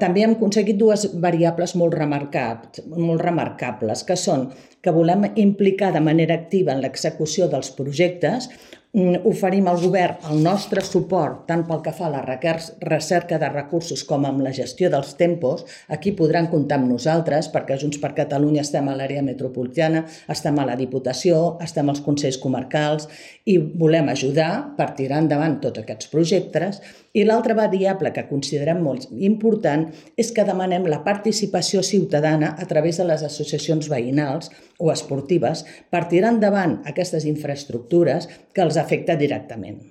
També hem aconseguit dues variables molt remarcables, que són que volem implicar de manera activa en l'execució dels projectes. Oferim al govern el nostre suport tant pel que fa a la recerca de recursos com amb la gestió dels tempos. Aquí podran comptar amb nosaltres perquè Junts per Catalunya estem a l'àrea metropolitana, estem a la Diputació, estem als Consells Comarcals i volem ajudar per tirar endavant tots aquests projectes. I l'altra variable que considerem molt important és que demanem la participació ciutadana a través de les associacions veïnals o esportives per tirar endavant aquestes infraestructures que els afecta directament.